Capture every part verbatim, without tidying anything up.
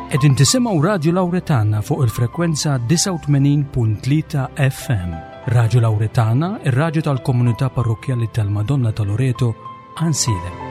Qegħdin tisimgħu Radju Lawretana fuq il-frekwenza disgħa u tmenin punt tlieta F M. Radju Lawretana, ir-radju tal-komunità parrokkjali tal-Madonna ta' Loreto, Għajnsielem.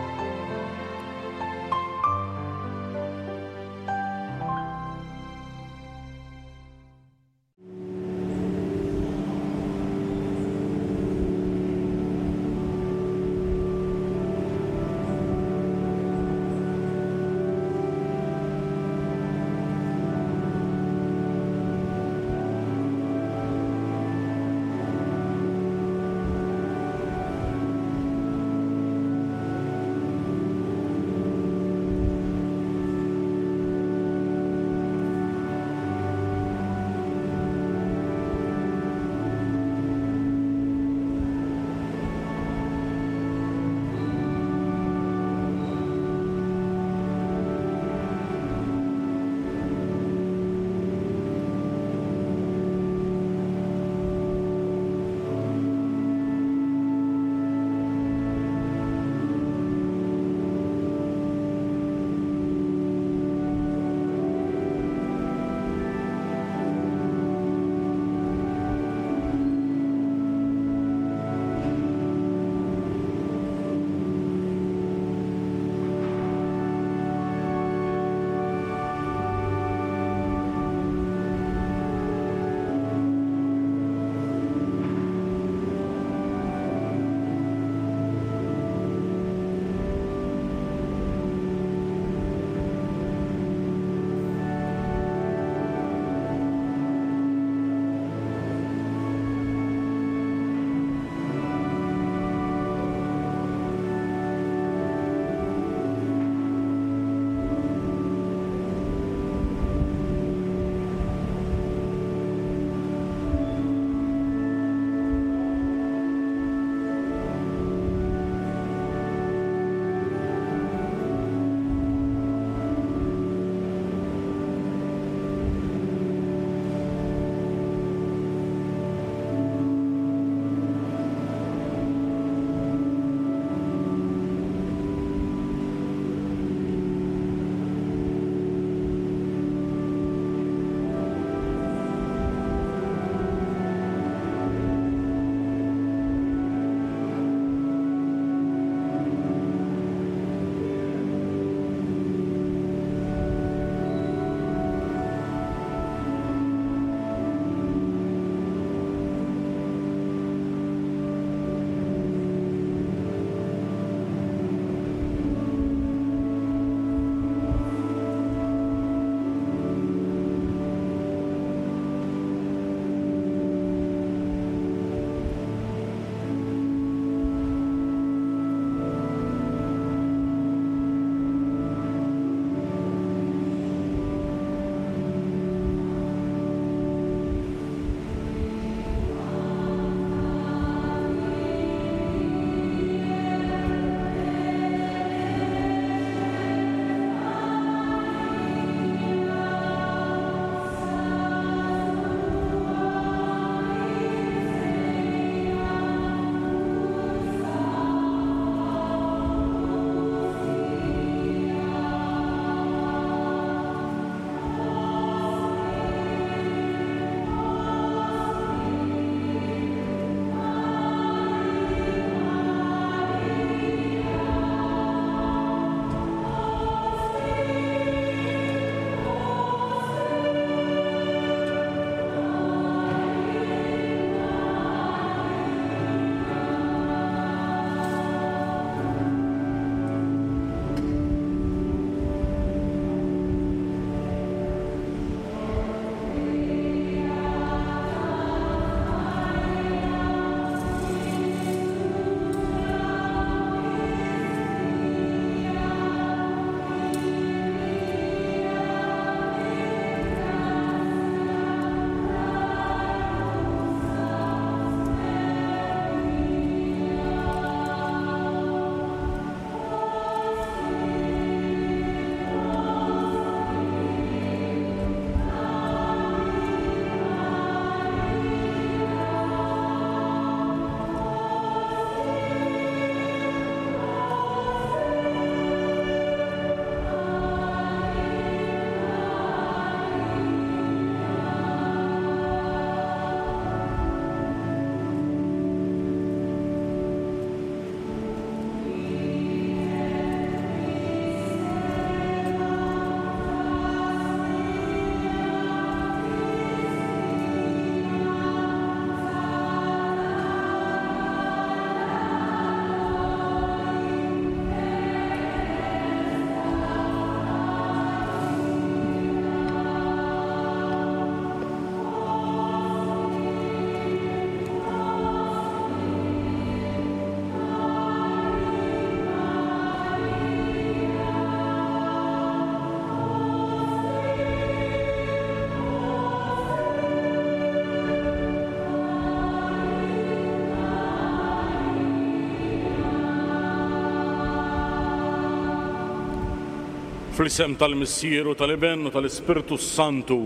Fl-isem tal-Missier u tal-Iben u tal-Ispirtu Santu,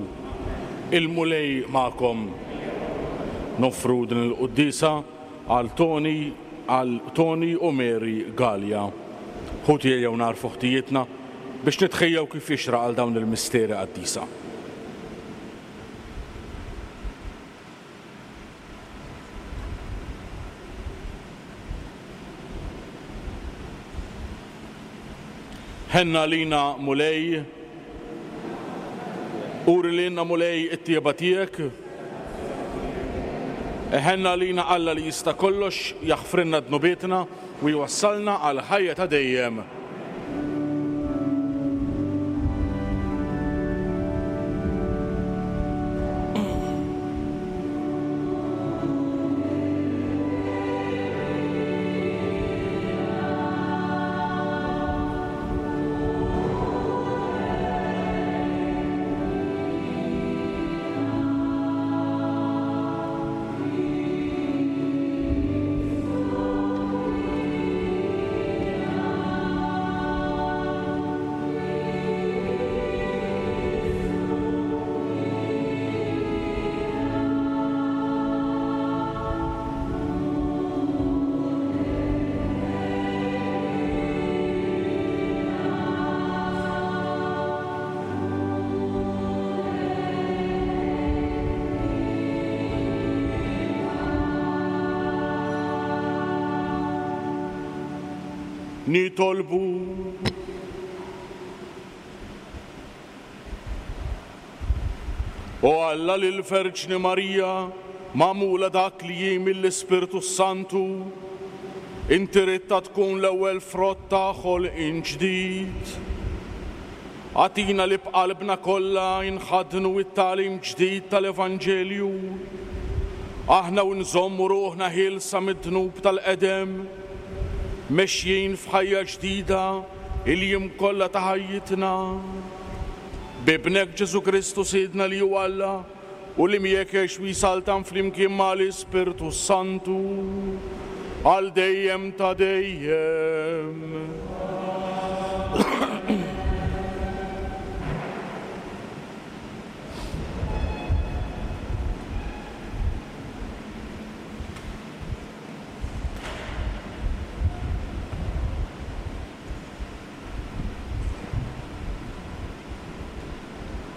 il-Mulej magħkom. Noffru din il-quddiesa għal Tony, għal Tony u Mary Gallia. Ħuti ejjew nagħrfu ħtijietna biex nitħejjew kif jixraq għal dawn il-misteri qaddisa. Ħenna lina Mulej, uri lilna Mulej it-tjieba tiegħek. Ħenna lina Alla li jista' kollox, jaħfrilna dnubietna u jwassalna għal ħajja ta' dejjem. Nitolbu. O Alla lil Verġni Marija, magħmula dak li hi mill-Ispirtu Santu, inti ridtha tkun l-ewwel frott ta' ħolqien ġdid. Agħtina li b'qalbna kollha inħaddnu it-tagħlim ġdid tal-Evanġelju. Aħna u nżommu ruħna ħielsa mid-dnub tal-qedem, mexjin f'ħajja ġdida il-jiem kollha ta' ħajjitna. B'Ibnek Ġesù Kristu Sidna li hu Alla u li miegħek jgħix u jsaltan flimkien mal-Ispirtu Santu għal dejjem ta' dejjem.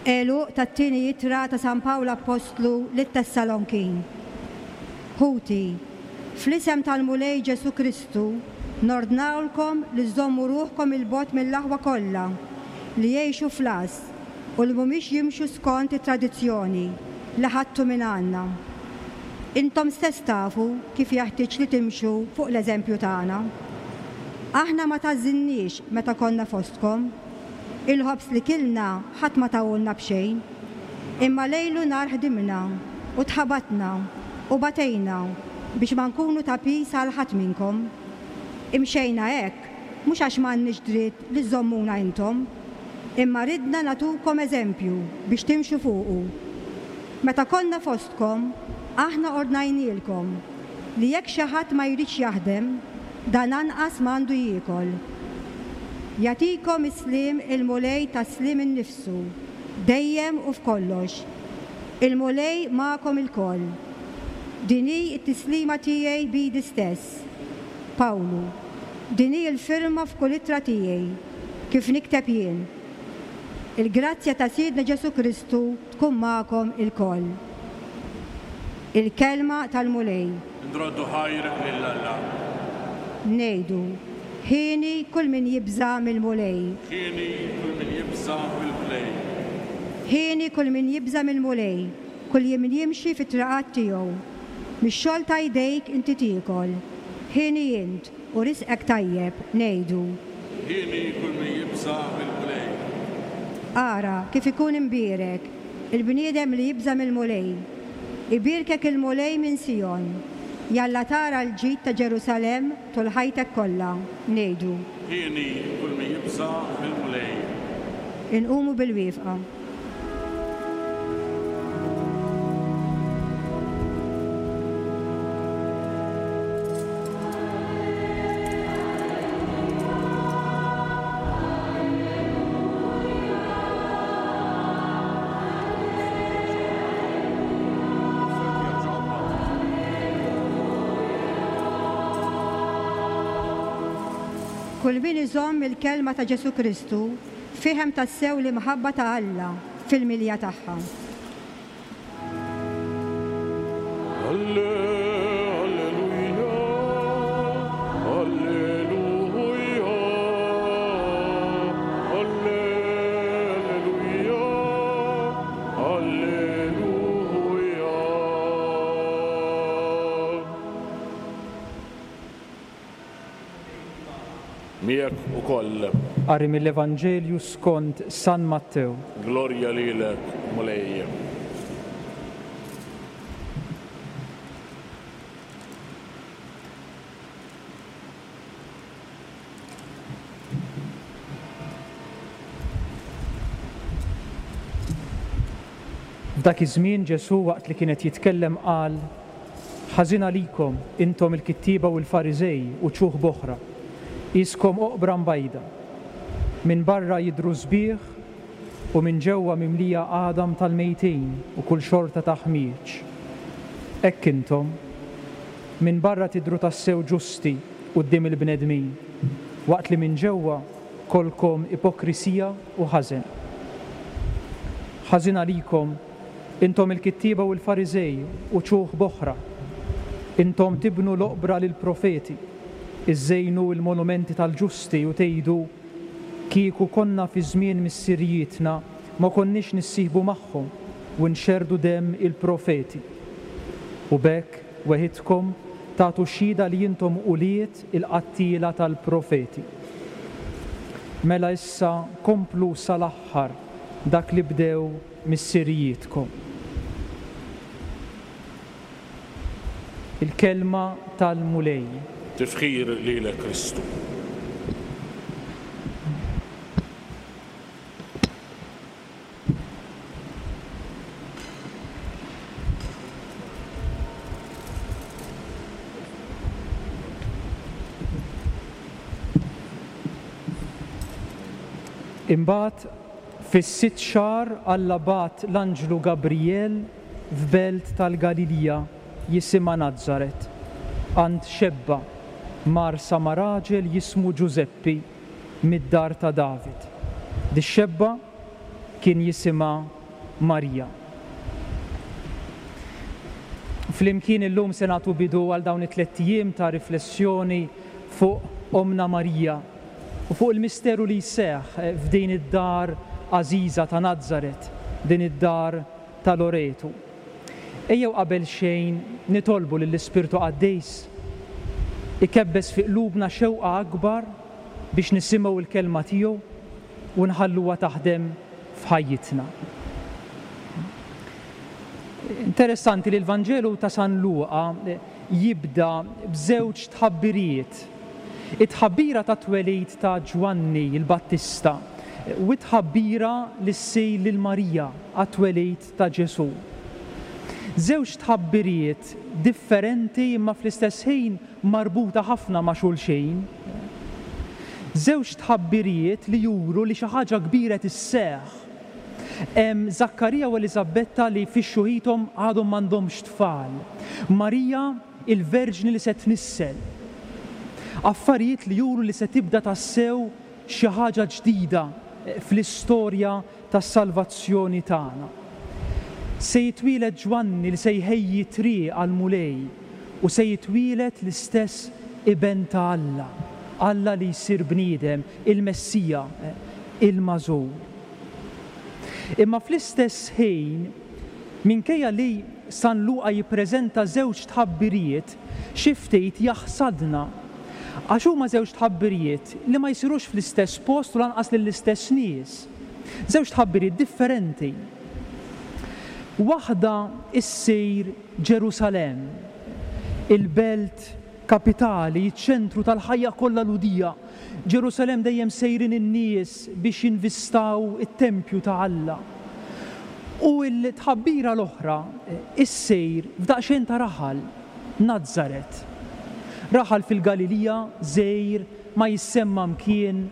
Għeluq tat-tieni ittra ta' San Pawl Appostlu lit-Tessalonkin. Ħuti, fl-isem tal-Mulej Ġesù Kristu, nordnawlkom li żommu ruħkom il-bogħod mill-aħwa kollha li jgħixu fl-għażż u li mhumiex jimxu skont it-tradizzjoni li ħadtu minn għandna. Intom stess tafu kif jeħtieġ li timxu fuq l-eżempju tagħna. Aħna ma tażżinniex meta konna fostkom. Il-ħobż li kilna ħadd ma tawulna b'xejn, imma lejlu nhar ħdimna u tħabatna u batejna biex ma nkunu ta' pis għal ħadd minnkom. Imxejna hekk mhux għax m'għandniex dritt li żommuna intom, imma ridna nagħtukom eżempju biex timxu fuqu. Meta konna fostkom, aħna ordnajnielkom li jekk xi ħadd ma jridx jaħdem, dan anqas m'għandu jiekol. Jagħtikom is-sliem il-Mulej tas-sliem innifsu, dejjem u f'kollox. Il-Mulej magħkom ilkoll. Din hi t-tislima tiegħi b'idi stess. Pawlu, din hi l-firma f'kull ittra tiegħi, kif nikteb jien. Il-grazzja ta' Sidna Ġesù Kristu tkun magħkom ilkoll. Il-kelma tal-Mulej. Nroddu ħajr lil Alla. Ngħidu, ħieni kull min jibża' mill-Mulej. Ħieni kull min jibża' mill-Mulej. Ħieni kull min jibża' mill-Mulej, kull min jimxi fit-triqat tiegħu. Mix-xogħol ta' jdejk inti tiekol. Ħieni int u risqek tajjeb, ngħidu. Ħieni kull min jibża' mill-Mulej. Ara kif ikun imbierek il-bniedem li jibża' mill-Mulej. Ibierkek il-Mulej minn Sijon. Jalla tara l-ġid ta' Ġerusalemm tul ħajtek kollha, ngħidu. Ħieni kull min jibża' mill-Mulej. Inqumu bil-wieqfa. Kull min iżomm il-kelma ta' Ġesù Kristu fihem tassew l-imħabba ta' Alla fil-milja tagħha. Alleluja, alleluja, alleluja, alleluja. Miegħek ukoll. Qari mill-Evanġelju skont San Mattew. Glorja lilek, Mulej. F'dak iż-żmien Ġesù waqt li kienet jitkellem qal: Ħażin għalikom intom il-kittieba u l-Fariżej u ċuħ b'oħra, qiskom oqbra mbajda. Minn barra jidhru sbieħ u minn ġewwa mimlija għadam tal-mejtin u kull xorta ta' ħmieġ. Hekk intom, minn barra tidhru tassew ġusti quddiem il-bnedmin, waqt li minn ġewwa kolkom ipokrisija u ħażen. Ħażin għalikom intom il-kittieba u l-Fariżej u ċuħ b'oħra. Intom tibnu l-oqbra lill-profeti, iżejnu l-monumenti tal-ġusti u tgħidu: kieku konna fi żmien missirijietna ma konniex nissieħbu magħhom u nxerrdu demm il-profeti. U b'hekk weħidkom tagħtu xhieda li intom ulied il-qattiela tal-profeti. Mela issa komplu sal-aħħar dak li bdew missirijietkom. Il-kelma tal-Mulej. Tifħir lilek Kristu. Imbagħad fis-sitt xahar Alla bagħat l-anġlu Gabriel f'belt tal-Galilija jisimha Nazaret, għand xebba marsa ma' raġel jismu Ġużeppi mid-dar ta' David. Dix-xebba kien jisimha Marija. Flimkien illum se nagħtu bidu għal dawn it-tliet ijiem ta' riflessjoni fuq Omna Marija u fuq il-misteru li jseħħ f'din id-dar għażiża ta' Nazaret, din id-dar ta' Loretu. Ejjew qabel xejn nitolbu lill-Ispirtu Qaddis ikebbes fi qlubna xewqa akbar biex nisimgħu l-kelma tiegħu u nħalluha taħdem f'ħajjitna. Interessanti li l-Vanġelu ta' San Luqa jibda b'żewġ tħabbirijiet. It-tħabbira ta' twelid ta' Ġwanni il-Battista u t-tħabbira li ssir lil Marija għat-twelid ta' Ġesù. Żewġ tħabbirijiet differenti imma fl-istess ħin marbuta ħafna ma' xulxin. Żewġ tħabbirijiet li juru li xi ħaġa kbira tisseħħ. Hemm Żakkarija u Eliżabetta li fix-xuħithom għadhom m'għandhomx tfal. Marija il-Verġni li se tnissel. Affarijiet li juru li se tibda tassew xi ħaġa ġdida fl-istorja tas-salvazzjoni tagħna. Se jitwieled Ġwanni li se jħejji triq għall-Mulej u se jitwieled l-istess Iben ta' Alla, Alla li jsir bniedem, il-Messija, il-Magħżul. Imma fl-istess ħin, minkejja li San Luqa jippreżenta żewġ tħabbirijiet, xi ftit jaħsadna. Għax huma żewġ tħabbirijiet li ma jsirux fl-istess post u lanqas lill-istess nies. Żewġ tħabbirijiet differenti. Waħda issir Ġerusalemm, il-belt kapitali, iċ-ċentru tal-ħajja kollha Lhudija. Ġerusalemm dejjem sejrin in-nies biex jinvistaw it-tempju ta' Alla. U l-tħabbira l-oħra issir f'daqsxejn ta' raħal, Nazaret. Raħal fil-Galilija, żgħir, ma jissemma mkien,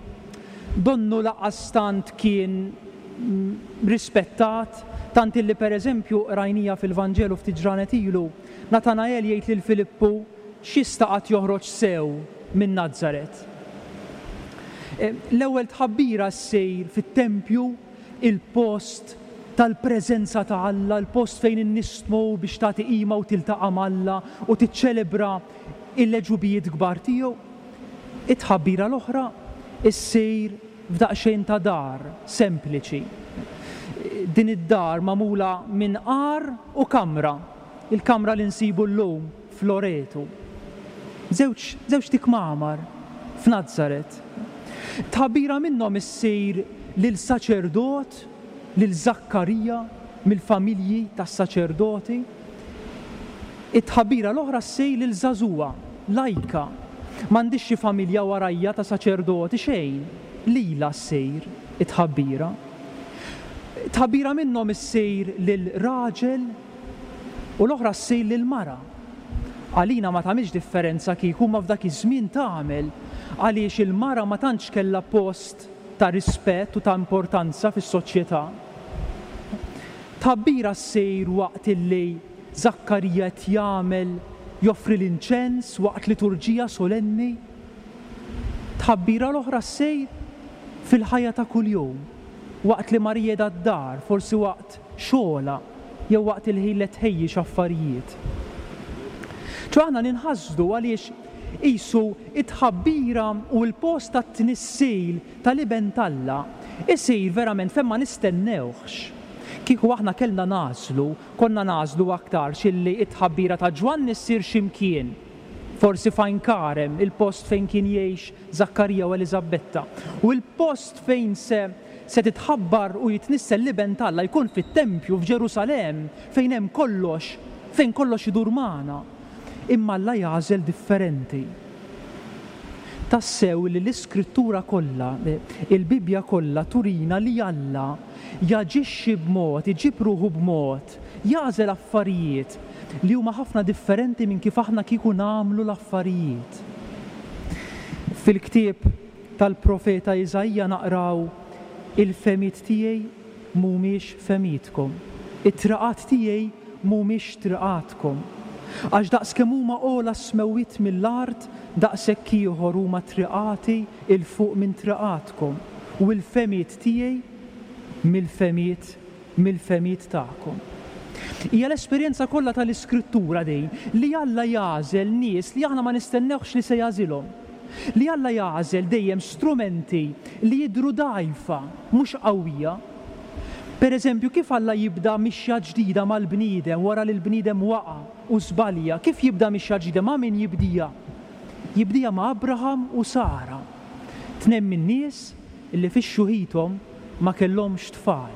donnu laqas tant kien rispettat, tant illi pereżempju rajnija fil-Vanġelu ftit ġranet ilu, Natanael jgħid lil Filippu x'jista' qatt joħroġ sew minn Nazaret. L-ewwel tħabbira ssir fit-tempju, il-post tal-preżenza ta' Alla, il-post fejn in-nies tmur biex tagħti qima u tiltaqa' m'Alla u tiċċelebra l-għeġubijiet kbar tiegħu. It-tħabbira l-oħra ssir f'daqsxejn ta' dar sempliċi. Din id-dar magħmula minn għar u kamra, il-kamra li nsibu llum f'Loreto. Żewġ, żewġt ikmamar f'Nazaret. Tħabbira minnhom issir lil saċerdot, lil Żakkarija mill-familji tas-saċerdoti. It-tħabbira l-oħra ssir lil żagħżugħa, lajka. M'għandix xi familja warajja ta' saċerdoti xejn, lilha ssir it-tħabbira. Tħabbira minnhom issir lil raġel u l-oħra ssir lil mara. Għalina ma tagħmilx differenza kieku ma f'dak iż-żmien tagħmel, għaliex il-mara ma tantx kellha post ta' rispett u ta' importanza fis-soċjetà. Tħabbira ssir waqt illi Żakkarija qed jagħmel joffri l-inċens waqt liturġija solenni. Tħabbira l-oħra ssir fil-ħajja ta' kuljum, waqt li Marija qiegħda d-dar, forsi waqt xogħla jew waqt il-ħin li tħejji x'affarijiet. Ċo aħna ninħasdu għaliex qisu it-tħabbira u l-post tat-tnissil tal-Iben t'Alla isir verament fejn ma nistennewhx. Kieku aħna kellna nagħżlu, konna nagħżlu aktarx illi it-tħabbira ta' Ġwanni ssir x'imkien, forsi f'Għajn Karem, il-post fejn kien jgħix Żakkarija u Eliżabetta. U l-post fejn se, se titħabbar u jitnissel l-Iben t'Alla jkun fit-tempju f'Ġerusalemm, fejn hemm kollox, fejn kollox idur magħna. Imma Alla jagħżel differenti. Tassew li l-Iskrittura kollha, il-Bibbja kollha turina li Alla jaġixxi b'mod, iġib ruħu b'mod, jagħżel affarijiet li huma ħafna differenti minn kif aħna kieku nagħmlu l-affarijiet. Fil-ktieb tal-profeta Iżaija naqraw il-fehmiet tiegħi mhumiex fehmietkom, it-triqat tiegħi mhumiex triqatkom. Għax daqskemm huma ogħla s-smewwiet mill-art, daqshekk ieħor huma triqati 'l fuq minn triqatkom, u l-fehmiet tiegħi mill-fehmiet, mill-fehmiet tagħkom. Hija l-esperjenza kollha tal-Iskrittura din li Alla jagħżel nies li aħna ma nistennewx li se jagħżilhom. Li Alla jagħżel dejjem strumenti li jidhru dgħajfa, mhux qawwija. Per eżempju, kif Alla jibda mixja ġdida mal-bniedem wara li l-bniedem waqa' u żbalja, kif jibda mixja ġdida ma' min jibdija? Jibdija ma' Abraham u Sara, tnejn min-nies li fix-xjuħithom ma kellhomx tfal.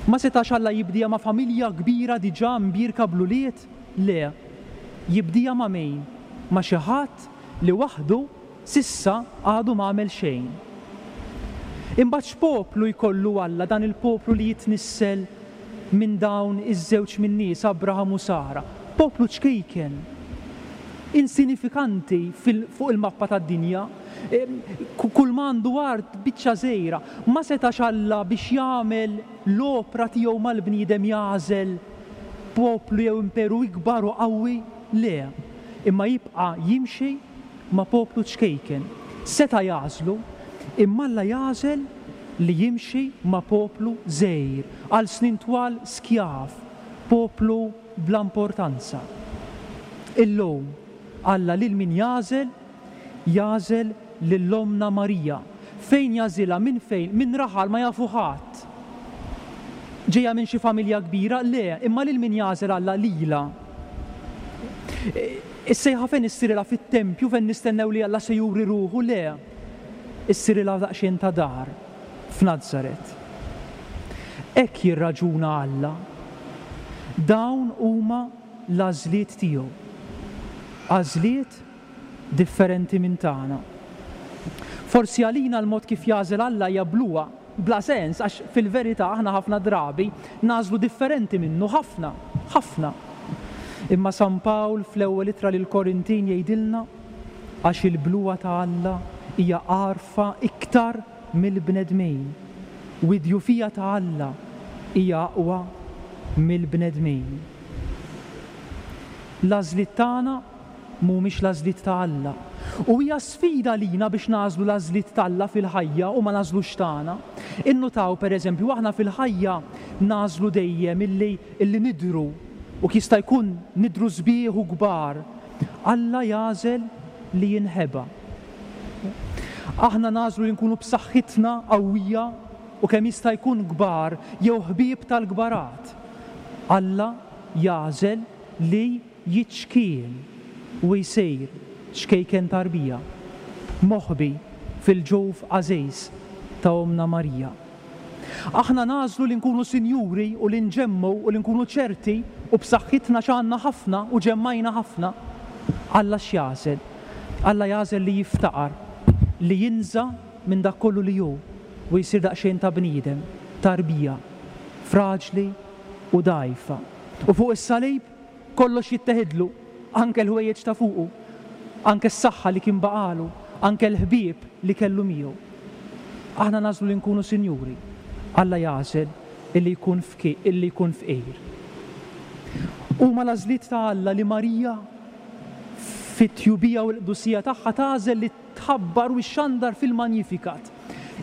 Ma setax Alla jibdija ma' familja kbira diġà mbierka bl-ulied? Le, jibdija ma' min? Ma' xi ħadd li waħdu sissa għadu ma għamel xejn. Imbagħad x'poplu jkollu Alla, dan il-poplu li jitnissel minn dawn iż-żewġ min-nies, Abraham u Sara? Poplu ċkejken, insinifikanti fil-, fuq il-mappa tad-dinja, kull ma għandu art biċċa żgħira. Ma setax Alla biex jagħmel l-opra tiegħu mal-bniedem jagħżel poplu jew imperu ikbar u qawwi? Le, imma jibqa' jimxi ma' poplu ċkejken. Seta' jagħżlu, imma Alla jagħżel li jimxi ma' poplu żgħir, għal snin twal skjav, poplu bla importanza. Illum Alla lil min jagħżel, jagħżel lil ommna Marija. Fejn jagħżilha? Minn fejn? Minn raħal ma jafu ħadd. Ġejja minn xi familja kbira? Le, imma lil min jagħżel Alla? Lilha. Is-sejħa fejn issirilha? Fit-tempju fejn nistennew li Alla se juri ruħu? Le, issirilha daqsxejn ta' dar f'Nazaret. Hekk jirraġuna Alla. Dawn huma l-għażliet tiegħu. Għażliet differenti minn tagħna. Forsi għalina l-mod kif jagħżel Alla hija bluha, bla sens, għax fil-verità aħna ħafna drabi nagħżlu differenti minnu, ħafna, ħafna. Imma San Pawl fl-ewwel ittra lil Korintin jgħidilna għax il-bluha ta' Alla hija għarfa iktar mill-bnedmin, u d-djufija ta' Alla hija aqwa mill-bnedmin. L-għażliet tagħna mhumiex l-għażliet ta' Alla. U hija sfida lina biex nagħżlu l-għażliet t'Alla fil-ħajja u ma nagħżlux tagħna. Innutaw pereżempju aħna fil-ħajja nagħżlu dejjem illi illi nidhru u jista' jkun nidhru sbieħ u kbar. Alla jagħżel li jinħeba. Aħna nagħżlu li nkunu b'saħħitna qawwija u kemm jista' jkun kbar jew ħbieb tal-kbarat. Alla jagħżel li jiċkien u jsir ċkejken tarbija, moħbi fil-ġuf għażiż ta' Ommna Marija. Aħna nagħżlu li nkunu sinjuri u li nġemmu u li nkunu ċerti u b'saħħitna x'għandna ħafna u ġemmajna ħafna. Alla x'jagħżel? Alla jagħżel li jiftaqar, li jinża' minn dak kollu li hu u jsir daqsxejn ta' bniedem, tarbija, fraġli u dgħajfa. U fuq is-salib kollox jitteħidlu, anke l-ħwejjeġ ta' fuqu, anke s-saħħa li kien baqalu, anke l-ħbieb li kellu miegħu. Aħna nagħżlu li nkunu sinjuri. Alla jagħżel illi jkun fki, illi jkun fqir. Huma l-għażliet ta' Alla li Marija fit-tjubija u l-qdusija tagħha tagħżel li tħabbar u xxandar fil-Magnificat.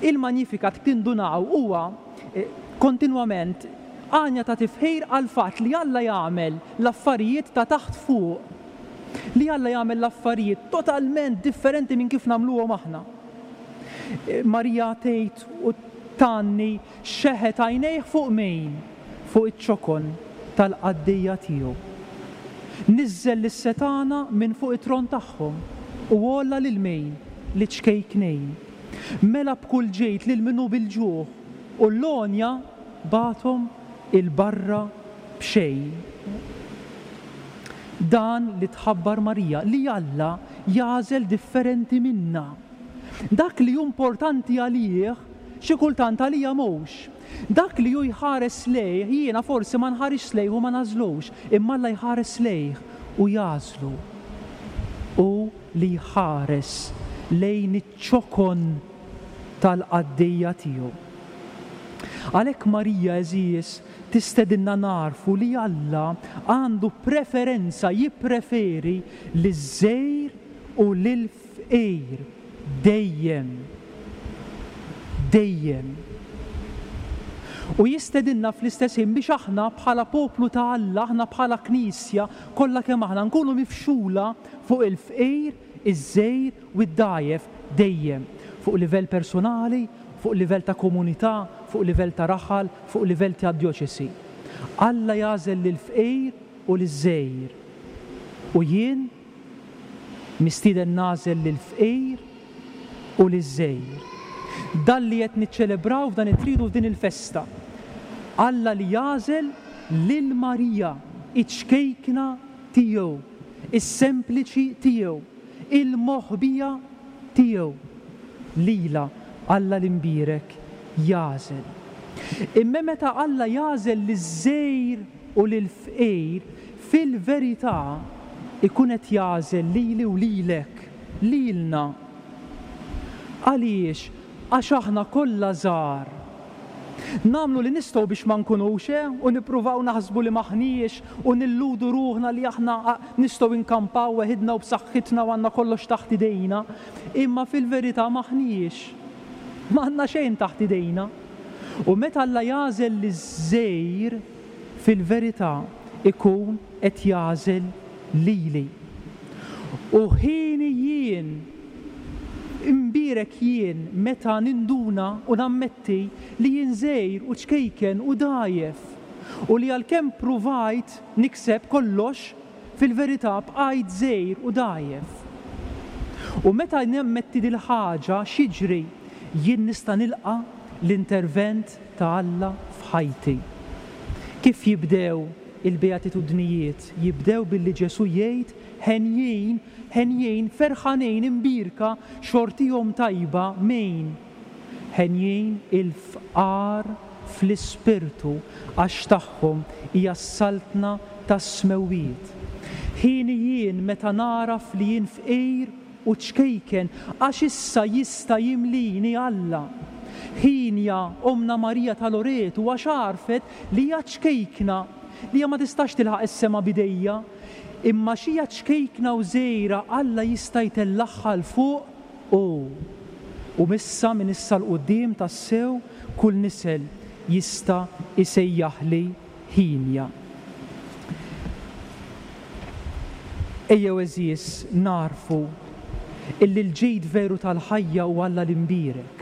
Il-Magnificat tindunaw huwa kontinwament għanja ta' tifħir għal fatt li Alla jagħmel l-affarijiet ta' taħt fuq. Li Alla jagħmel l-affarijiet totalment differenti minn kif nagħmluhom aħna. Marija tgħid u tgħanni xeħet għajnejh fuq min? Fuq iċ-ċokon tal-qaddejja tiegħu. Niżżel lis-setgħana minn fuq it-tron tagħhom u għolla lil min? Li ċkejknejn. Mela b'kull ġejt lil minnu bil-ġuħ u l-għonja bagħthom il-barra b'xejn. Dan li tħabbar Marija, li Alla jagħżel differenti minna. Dak li hu importanti għalih, xi kultant għalija mhux. Dak li hu jħares lejh, jiena forsi ma nħarisx lejh u ma nagħżlux, imma Alla jħares lejh u jagħżlu. U li jħares lejn iċ-ċokon tal-qaddejja tiegħu. Għalhekk Marija, għeżież, tistedinna narfu li Alla għandu preferenza, jippreferi liż-żgħir u lil-fqir dejjem. Dejjem. U jistedinna fl-istess ħin biex aħna bħala poplu ta' Alla, aħna bħala Knisja, kollha kemm aħna nkunu mifxula fuq il-fqir, iż-żgħir u d-dgħajjef dejjem, fuq livell personali, fuq livell ta' komunità, fuq livell ta' raħal, fuq livell ta' djoċesi. Alla jagħżel lill-fqir u liż-żgħir. U jien mistieden nagħżel lill-fqir u liż-żgħir. Dan li qed niċċelebraw f'dan it-tridu f'din il-festa. Alla li jagħżel lil Marija, iċ-ċkejkna tiegħu, is-sempliċi tiegħu, il-moħbija tiegħu. Lila Alla l-imbierek jagħżel. Imma meta Alla jagħżel liż-żgħir u lill-fqir, fil-verità ikun qed jagħżel lili u lilek, lilna. Għaliex? Għax aħna kollha żgħar. Nagħmlu li nistgħu biex ma nkunux, eh? U nippruvaw naħsbu li maħniex u nilludu ruħna li aħna nistgħu nkampaw weħidna u b'saħħitna u għandna kollox taħt idejna, imma fil-verità maħniex. Ma għandna xejn taħt idejna. U meta Alla jagħżel liż-żgħir, fil-verità ikun qed jagħżel lili. U ħini jien imbierek jien meta ninduna u nammetti li jien żgħir u ċkejken u dgħajjef u li għalkemm pruvajt nikseb kollox, fil-verità bqajt żgħir u dgħajjef. U meta nammetti dil-ħaġa x'jiġri? Jien nista' nilqa' l-intervent ta' Alla f'ħajti. Kif jibdew il-beatitudnijiet? Jibdew billi Ġesù jgħid henjin, henjin, ferħanin, imbierka, xortihom tajba min? Henjin il-fqar fl-ispirtu għax tagħhom hija s-saltna tas-smewwiet. Ħini jien meta naraf li jien fqir u ċkejken għax issa jista' jimlini Alla. Ħinja Ommna Marija ta' Loretu għax għarfet li hija ċkejkna, li hija ma tistax tilħaq is-sema bidejja. Imma xija ċkejkna u żgħira Alla jista' jtellagħha 'l fuq u u missa minn issa 'l quddiem tassew kull nisel jista' jsejjaħli ħinja. Ejjew għeżież narfu illi l-ġid veru tal-ħajja hu Alla l-imbierek.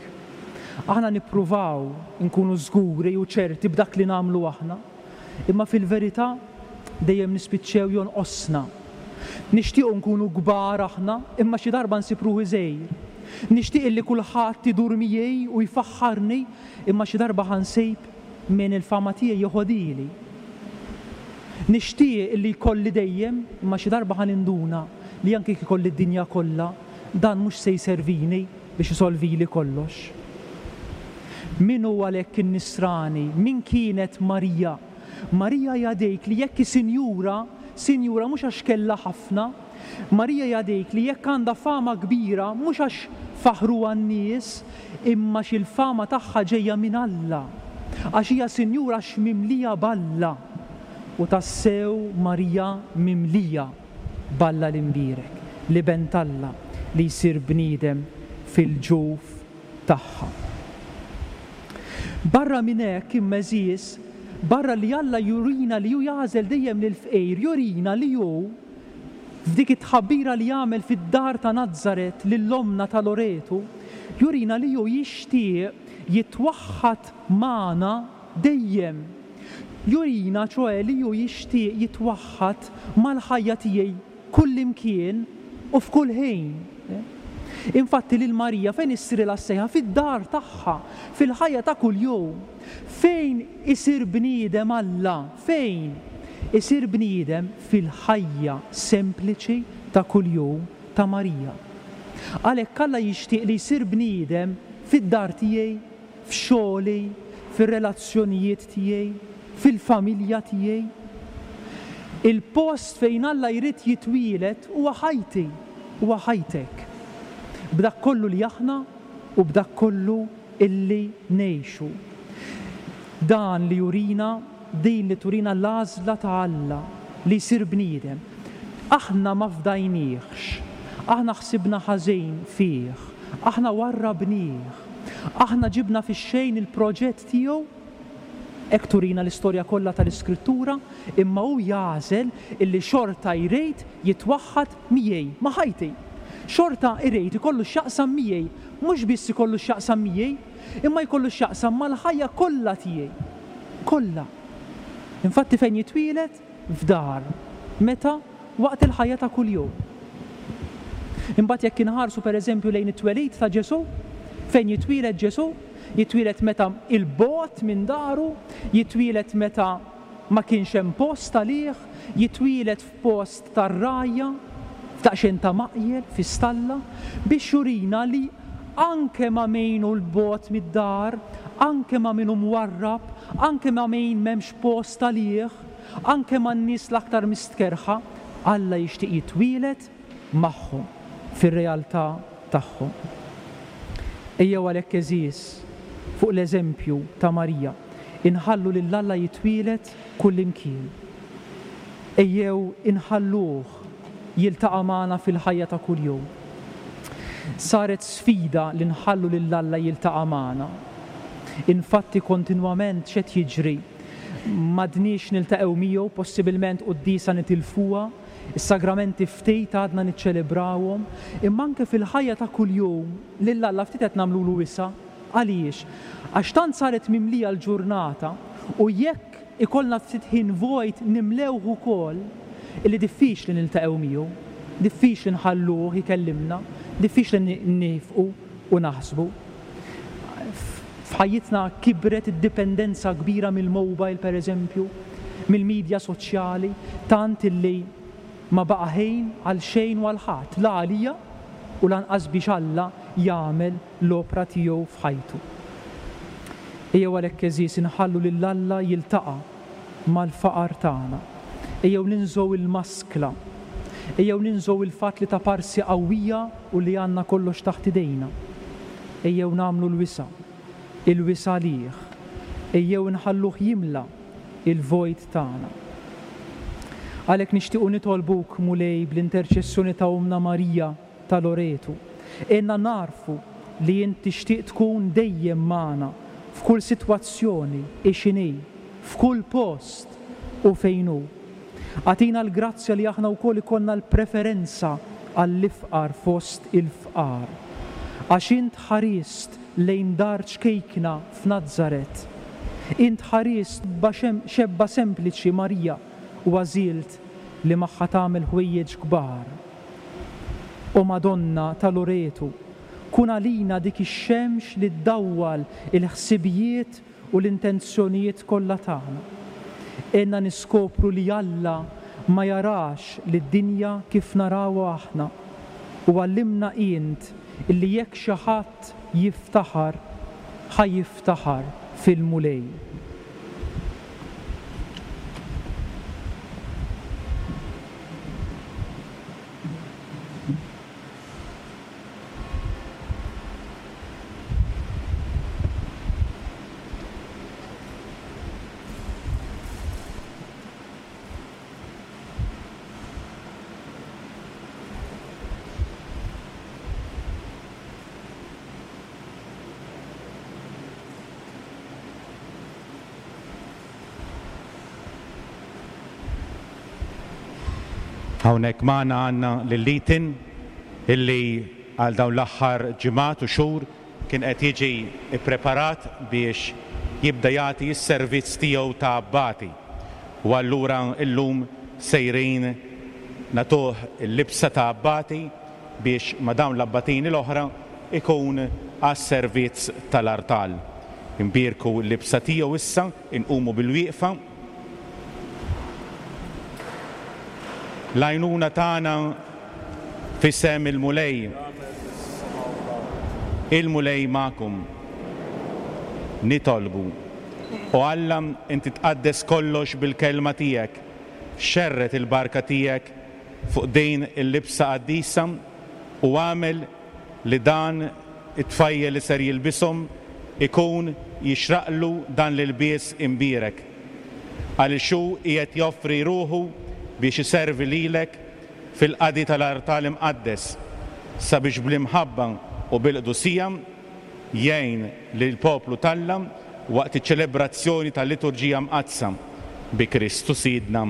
Aħna nippruvaw nkunu żguri u ċerti b'dak li nagħmlu aħna, imma fil-verità dejjem nispiċċew jonqosna. Nixtiequ nkunu kbar aħna, imma xi darba nsib ruħi żgħir. Nixtieq illi kulħadd idur miegħi u jfaħħarni, imma xi darba ħa nsib min il-fama tiegħi joħodili. Nixtieq illi jkolli dejjem, imma xi darba ħa ninduna li anke jekk ikolli d-dinja kollha, dan mhux se jservini biex isolvili kollox. Min hu għalhekk in-nisrani? Min kienet Marija? Marija hija dik li jekk hi sinjura, sinjura mhux għax kellha ħafna. Marija hija dik li jekk għandha fama kbira mhux għax faħruha n-nies, imma għax il-fama tagħha ġejja minn Alla. Għax hija sinjura għax mimlija b'Alla. U tassew Marija mimlija b'Alla l-imbierek, l-Iben t'Alla li jsir bniedem fil-ġuf tagħha. Barra minn hekk imma għeżież, barra li Alla jurina li hu jagħżel dejjem lill-fqir, jurina li hu f'dik it-tħabbira li jagħmel fid-dar ta' Nazaret lil ommna ta' Loretu, jurina li hu jixtieq jitwaħħad magħna dejjem. Jurina ċoè li hu jixtieq jitwaħħad mal-ħajja tiegħi kullimkien u f'kull ħin. Infatti lil Marija fejn issirilha s-sejħa? Fid-dar tagħha, fil-ħajja ta' kuljum. Fejn isir bniedem Alla? Fejn isir bniedem? Fil-ħajja sempliċi ta' kuljum ta' Marija. Għalhekk Alla jixtieq li jsir bniedem fid-dar tiegħi, f'xogħli, fir-relazzjonijiet tiegħi, fil-familja tiegħi. Il-post fejn Alla jrid jitwielet huwa ħajti, huwa ħajtek. B'dak kollu li aħna u b'dak kollu illi ngħixu. Dan li jurina, din li turina l-għażla ta' Alla li jsir bniedem. Aħna ma fdajniex, aħna ħsibna ħażin fih, aħna warrabnieh, aħna ġibna fix-xejn il-proġett tiegħu. Hekk turina l-istorja kollha tal-Iskrittura, imma hu jagħżel illi xorta jrid jitwaħħad miegħi, ma' ħajti. Xorta jrid ikollu x'jaqsam miegħi, mhux biss ikollu x'jaqsam miegħi, imma jkollu x'jaqsam mal-ħajja kollha tiegħi. Kollha. Infatti fejn jitwielet? F'dar. Meta? Waqt il-ħajja ta' kuljum. Imbagħad jekk inħarsu pereżempju lejn it-twelid ta' Ġesù, fejn jitwielet Ġesù? Jitwielet meta il-bogħod minn daru, jitwielet meta ma kienx hemm post għalih, jitwielet f'post tar-rajja, f'daqsxejn ta' maqjel, fi stalla, biex jurina li anke ma' min hu l-bogħod mid-dar, anke ma' min hu mwarrab, anke ma' min m'hemmx post għalih, anke ma' n-nies l-aktar mistkerħa, Alla jixtieq jitwielet magħhom fir-realtà tagħhom. Ejjew għalhekk għeżież fuq l-eżempju ta' Marija, inħallu lil Alla jitwielet kullimkien. Ejjew inħalluh jiltaqa' magħna fil-ħajja ta' kuljum. Saret sfida li nħallu lil Alla jiltaqa' magħna. Infatti kontinwament x'qed jiġri? M'għadniex niltaqgħu miegħu, possibilment quddiesa nitilfuha, is-sagramenti ftit għadna niċċelebrawhom, imma anke fil-ħajja ta' kuljum lil Alla ftit qed nagħmlulu wisa'. Għaliex? Għax tant saret mimlija l-ġurnata u jekk ikollna ftit ħin vojt nimlewh ukoll, illi diffiċli niltaqgħu miegħu, diffiċli nħalluh ikellimna, diffiċli nifqu u naħsbu. F'ħajjitna kibret id-dipendenza kbira mill-mobile, per eżempju, mill-medja soċjali, tant illi ma baqa' ħin għal xejn u għal ħadd, la għalija u lanqas biex Alla jagħmel l-opra tiegħu f'ħajtu. Ejjew għalhekk għeżież inħallu lil Alla jiltaqa' mal-faqar tagħna. Ejjew ninżgħu il-maskla. Ejjew ninżgħu il-fatt li ta' parsi qawwija u li għandna kollox taħt idejna. Ejjew nagħmlu l-wisa', il-wisa' għalih. Ejjew inħalluh jimla il-vojt tagħna. Għalhekk nixtiequ nitolbuk, Mulej, bl-interċessjoni ta' Ommna Marija ta' Loretu. Għinna nagħrfu li int tixtieq tkun dejjem magħna f'kull sitwazzjoni hi x'inhi, f'kull post u fejn hu. Agħtina l-grazzja li aħna wkoll ikollna l-preferenza għall-ifqar fost il-fqar. Għax int ħarist lejn dar ċkejkna f'Nazaret. Int ħarist xebba sempliċi Marija u għażilt li magħha tagħmel ħwejjeġ kbar. O Madonna ta' Loretu, kun għalina dik ix-xemx li ddawwal il-ħsibijiet u l-intenzjonijiet kollha tagħna. Għinna niskopru li Alla ma jarax lid-dinja kif narawha aħna u għallimna int illi jekk xi ħadd jiftaħar, ħa jiftaħar fil-Mulej. Hawnhekk magħna għandna lil Ethan illi għal dawn l-aħħar ġimgħat u xhur kien qed jiġi ppreparat biex jibda jagħti s-servizz tiegħu ta' abbati. U allura llum sejrin nagħtuh il-libsa ta' abbati biex ma' dawn l-abbatini l-oħra ikun għas-servizz tal-artal. Imbierku l-libsa tiegħu issa, inqumu bil-wieqfa. L-għajnuna tagħna f'isem il-Mulej. Il-Mulej magħkom. Nitolbu. O Alla, inti tqaddes kollox bil-kelma tiegħek. Xerred il-barka tiegħek fuq din il-libsa qaddisa u għamel li dan it-tfajjel li ser jilbishom ikun jixraqlu dan l-ilbies imbierek. Għaliex hu qiegħed joffri ruħu biex iservi lilek fil-qadi tal-artal imqaddes, sabiex bl-imħabba u bil-qdusija jgħin lill-poplu t'Alla waqt iċ-ċelebrazzjoni tal-liturġija mqaddsa bi Kristu Sidna.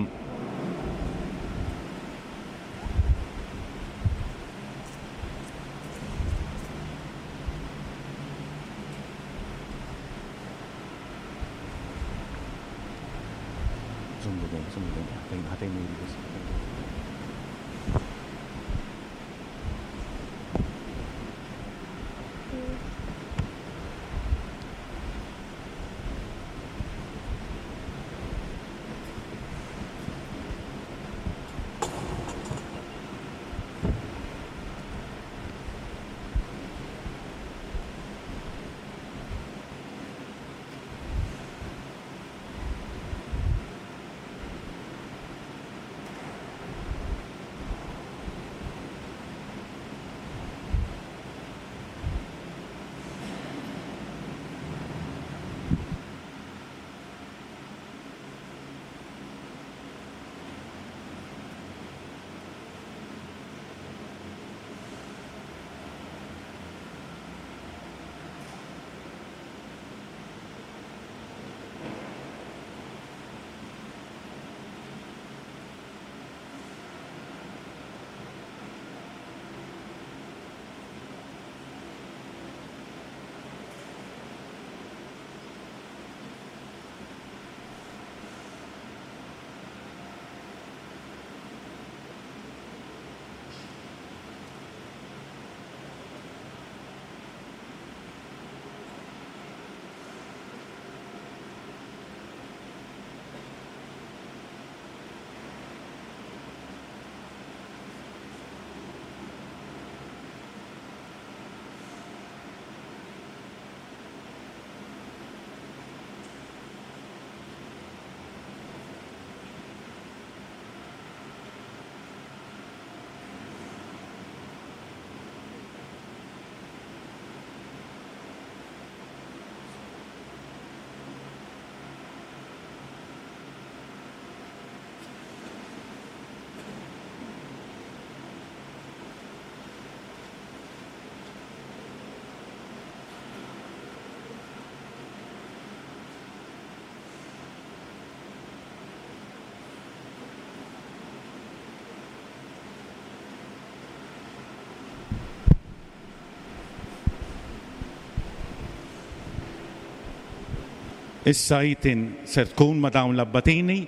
Issa Ethan ser tkun ma' dawn l-abbatini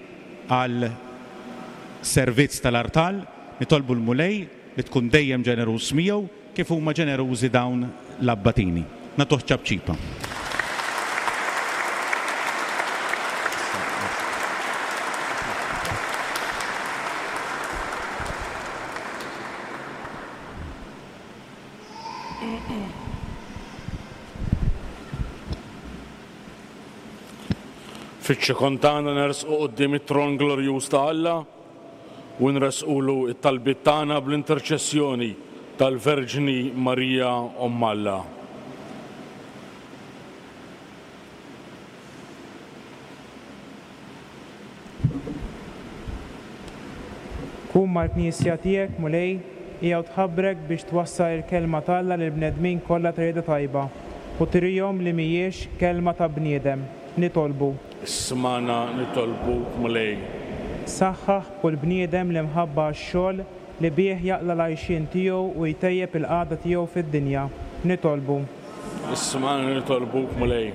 għal servizz tal-artal, nitolbu l-Mulej li tkun dejjem ġeneruż miegħu kif huma ġenerużi dawn l-abbatini. Nagħtuh ċapċipa. Fiċ-ċokon tagħna nersqu quddiem it-tron glorjuż ta' Alla u nresqulu t-talbiet tagħna bl-interċessjoni tal-Verġni Marija Omm Alla. Kun mal-Knisja tiegħek, Mulej, hija u tħabbrek biex twassal il-kelma t'Alla lill-bnedmin kollha ta' rieda tajba u turihom li mhijiex kelma ta' bniedem. Nitolbu. Ismagħna nitolbuk, Mulej. Saħħaħ kull bniedem li mħabba għax-xogħol li bih jaqla' l-għajxien tiegħu u jtejjeb il-qagħda tiegħu fid-dinja. Nitolbu. Ismagħna nitolbuk, Mulej.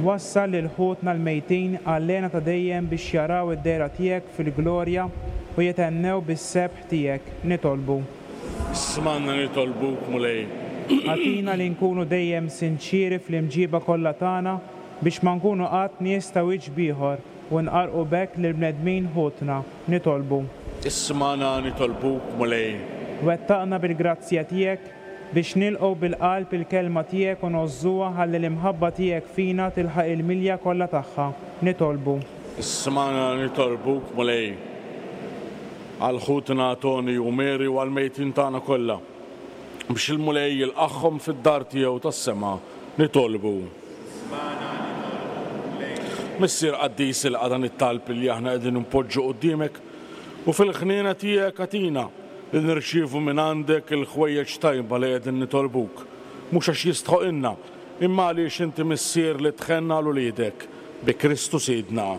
Wassal lil ħutna l-mejtin għall-hena ta' dejjem biex jaraw id-dehra tiegħek fil-glorja u jithennew bis-sebħ tiegħek. Nitolbu. Ismagħna nitolbuk, Mulej. Agħtina li nkunu dejjem sinċieri fl-imġiba kollha tagħna biex ma nkunu qatt nies ta' wiċċ b'ieħor u nqarrqu b'hekk lill-bnedmin ħutna. Nitolbu. Ismagħna nitolbuk, Mulej. Wettaqna bil-grazzja tiegħek biex nilqgħu bil-qalb il-kelma tiegħek u ngħożżuha ħalli l-imħabba tiegħek fina tilħaq il-milja kollha tagħha. Nitolbu. Ismagħna nitolbuk, Mulej. Għal ħutna Tony u Mary u għall-mejtin tagħna kollha biex il-Mulej jilqagħhom fid-dar tiegħu tas-sema. Nitolbu. Missier qaddis, ilqa' dan it-talb li aħna qegħdin npoġġu quddiemek u fil-ħniena tiegħek agħtina li nirċievu minn għandek il-ħwejjeġ tajba li qegħdin nitolbuk, mhux għax jistħoqilna, imma għaliex inti missier li tħenna għal uliedek, bi Kristu Sidna.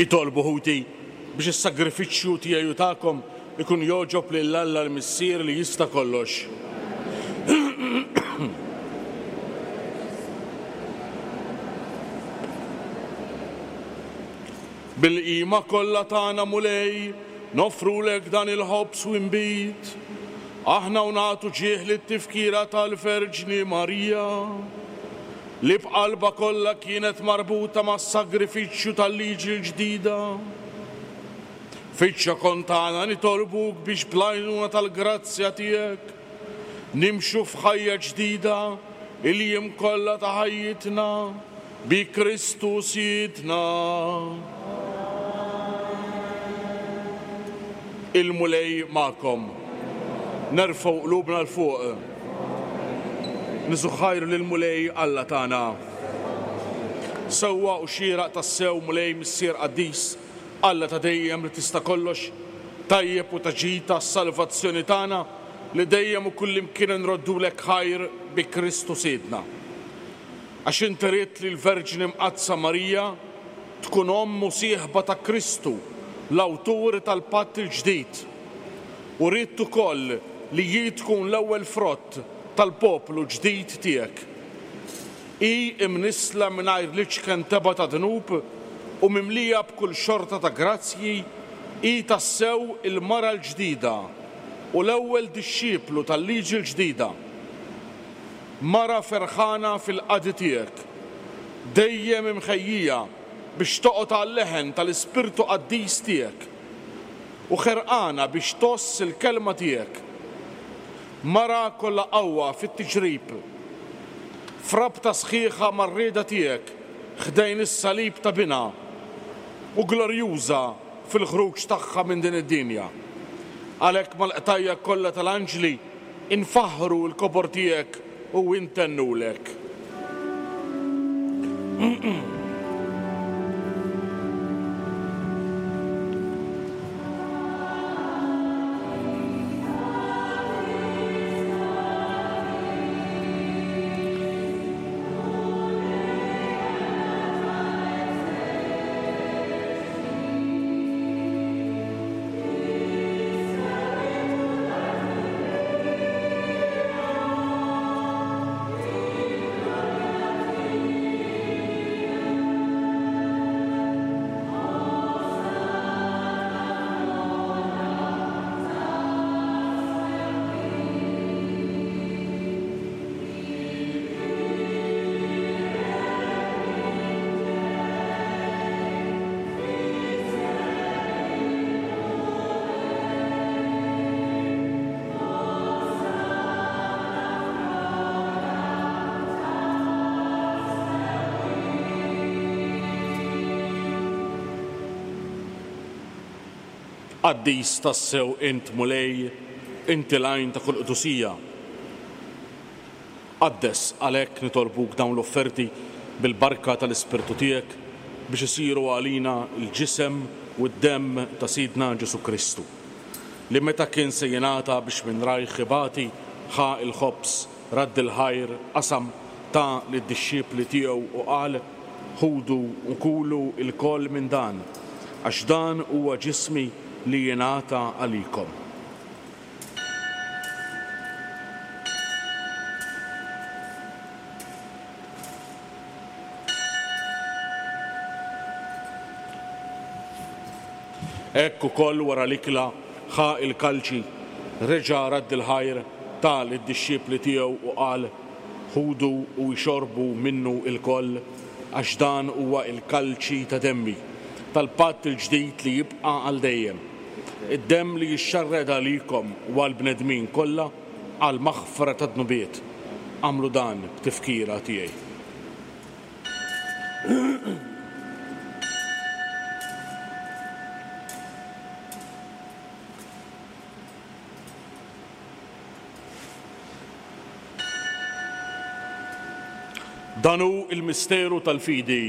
Itolbu ħuti biex is-sagrifiċċju tiegħi u tagħkom ikun jogħġob lil Alla l-Missier li jista' kollox. Bil-qima kollha tagħna Mulej, nofrulek dan il-ħobż u nbid. Aħna u nagħtu ġieħ lit-tifkira tal-Verġni Marija, li b'qalba kollha kienet marbuta mas-sagrifiċċju tal-liġi l-ġdida. Fiċ-ċokon tagħna nitolbuk biex bl-għajnuna tal-grazzja tiegħek nimxu f'ħajja ġdida il-jiem kollha ta' ħajjitna bi Kristu Sidna. Il-Mulej magħkom. Nerfgħu qlubna 'l fuq. Niżuħħajru lill-Mulej Alla tagħna. Sewwa u xieraq tassew Mulej Missier Qaddis, Alla ta' dejjem li tista' kollox, tajjeb u ta' ġid tas-salvazzjoni tagħna li dejjem u kullimkien nroddulek ħajr bi Kristu Sidna. Għax inti ridt li l-Verġni Mqaddsa Marija tkun omm u sieħba ta' Kristu, l-awtur tal-Patt il-Ġdid, u ridt ukoll li hi tkun l-ewwel frott tal-poplu ġdid tiegħek. Hi imnissla mingħajr l-iċken tebgħa ta' dnub u mimlija b'kull xorta ta' grazzji, hi tassew il-mara l-ġdida u l-ewwel dixxiplu tal-liġi l-ġdida. Mara ferħana fil-qadi tiegħek, dejjem imħejjija biex toqgħod għal-leħen tal-Ispirtu Qaddis tiegħek u ħerqana biex toss il-kelma tiegħek. Mara kollha qawwa fit-tiġrib, frabta sħiħa mar-rieda tiegħek ħdejn is-salib ta' binha u glorjuża fil-ħruġ tagħha minn din id-dinja. Għalhekk mal-qtajja kollha tal-anġli infaħħru l-kobor tiegħek u intennulek. Qaddis tassew int Mulej, inti l-għajn ta' kull qdusija. Qaddes għalhekk nitolbuk dawn l-offerti bil-barka tal-Ispirtu tiegħek biex isiru għalina l-ġisem u d-demm ta' Sidna Ġesu Kristu, li meta kien se jingħata biex minn rajh ibati ħa l-ħobż, radd il-ħajr, qasam, ta lid-dixxipli tiegħu u qal: Ħudu u kulu lkoll minn dan, għax dan huwa ġismi li jingħata għalikom. Hekk ukoll wara l-ikla ħa il-kalċi, reġa' radd il-ħajr, ta lid-dixxipli tiegħu u qal: Ħudu u jxorbu minnu lkoll, għax dan huwa il-kalċi ta' demmi, tal-patt il-ġdid li jibqa' għal dejjem. Id-demm li jixxarred għalikom u għall-bnedmin kollha għal maħfra ta' dnubiet. Għamlu dan b'tifkira tiegħi. Dan hu il-misteru tal-fidi.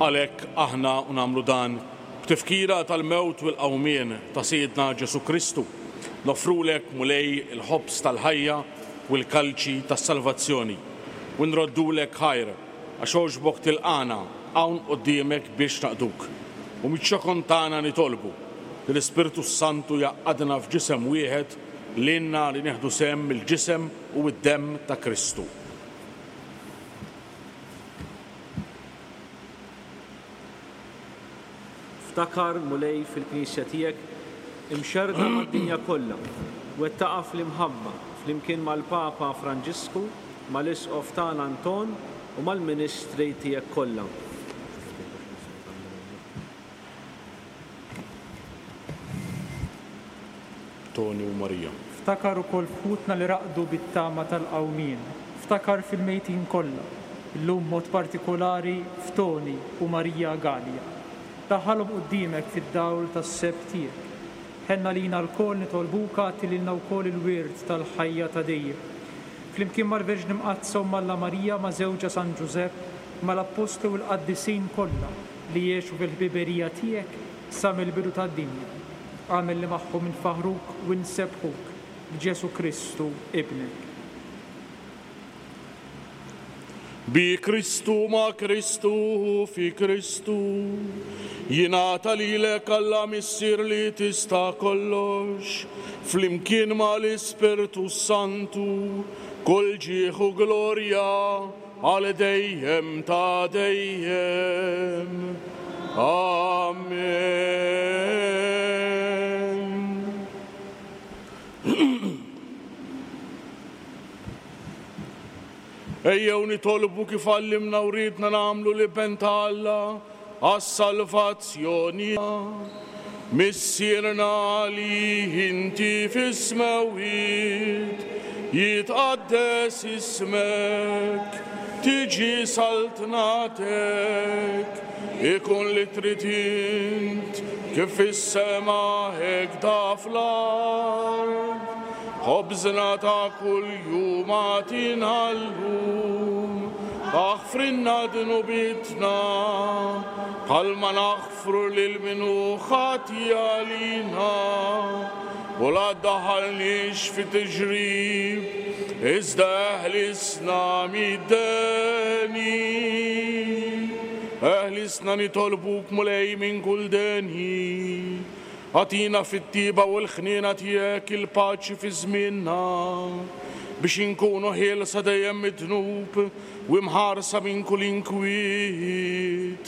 Għalhekk aħna u nagħmlu dan b'tifkira tal-mewt u l-qawmien ta' Sidna Ġesù Kristu. Nofrulek Mulej il-ħobż tal-ħajja u l-kalċi tas-salvazzjoni. U nroddulek ħajr għax għoġbok tilqana hawn quddiemek biex naqduk. U miċ-ċokon tagħna nitolbu li l-Ispirtu Santu jgħaqqadna f'ġisem wieħed lilna li nieħdu sehem mill-ġisem u d-demm ta' Kristu. Ftakar Mulej fil-Knisja tiegħek imxerrda mad-dinja kollha, wettaqa fl-imħabba flimkien mal-Papa Franġisku, mal-Isqof tagħna Anton u mal-Ministri tiegħek kollha. Toni u Marija. Ftakar ukoll f'ħutna li raqdu bit-tama tal-qawmien. Ftakar fil-mejtin kollha, illum mod partikolari f'Toni u Marija Gallia. Daħħalhom quddiemek fid-dawl tas-seb tiegħek. Ħenna lina lkoll nitolbuka agħti lilna wkoll il-wirt tal-ħajja ta' dejjem. Flimkien mal-Verġni Mqaddsa u Alla Marija ma' żewġha San Ġużepp, mal-Appostli u l-Qaddisin kollha li jgħixu fil-ħbiberija tiegħek sa mill-bidu tad-dinja. Agħmel li magħhom infaħruk u nsebbħuk b'Ġesù Kristu ibnek. Bi Kristu ma' Kristu fi Kristu jingħata lilek Alla Missier li tista' kollox flimkien mal-Ispirtu Santu kull ġieħ u glorja għal dejjem ta' dejjem. Amen. Ejjew nitolbu kif għallimna u ridna nagħmlu l-Iben ta' Alla għas-salvazzjoni. Missierna li inti fis-smewwiet, jitqaddes ismek, tiġi saltnatek, ikun li trid int kif fis-sema hekk da fl-art. Ħobżna ta' kuljum agħtina llum, aħfrilna dnubitna bħalma naħfru lil min hu ħati għalina, u la ddaħħalniex fi tiġrib, iżda eħlisna mid-deni. Eħlisna nitolbuk Mulej minn kull deni. Agħtina fit-tiba u l-ħniena tiegħek il-paċi fi żmienna, biex inkunu ħielsa dejjem mid-dnub u imħarsa minn kull inkwiet.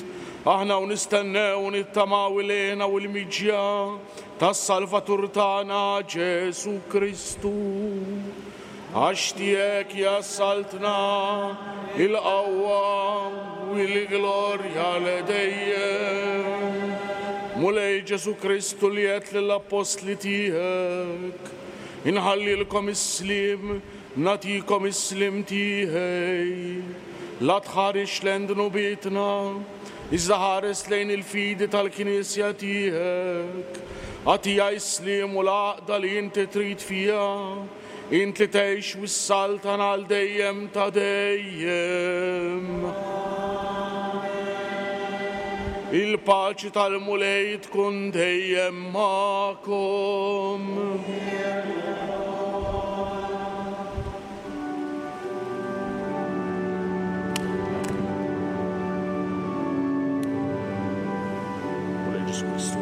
Aħna u nistennew u nittamaw il-hena u l-miġja tas-Salvatur tagħna Ġesù Kristu. Għax tiegħek hija s-saltna, il-qawwa u l-glorja l dejjem. Mulej Ġesù Kristu li għedt lill-appostli tiegħek, inħallilkom is-sliem, nagħtikom is-sliem tiegħi. La tħares lejn dnubietna, iżda ħares lejn il-fidi tal-Knisja tiegħek. Agħtiha s-sliem u l-għaqda li inti trid fiha, int li tgħix u s-saltan għal dejjem ta' dejjem. Il-paċi tal-Mulej tkun dejjem magħkom. Mulej Ġesù Kristu,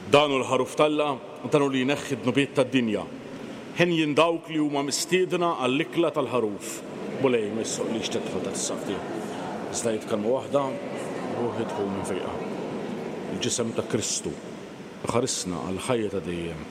Dan hu l-ħaruf t'Alla, dan hu li jneħħi d-dnubiet tad-dinja. Henjin dawk li huma mistiedna għall-ikla tal-ħaruf. Mulej, ma jistħoqqlix tidħol taħt is-saqaf tiegħi. Iżda għid kelma waħda, ruħi tkun imfejqa. Il-ġisem ta' Kristu iħarisna għall-ħajja ta' dejjem.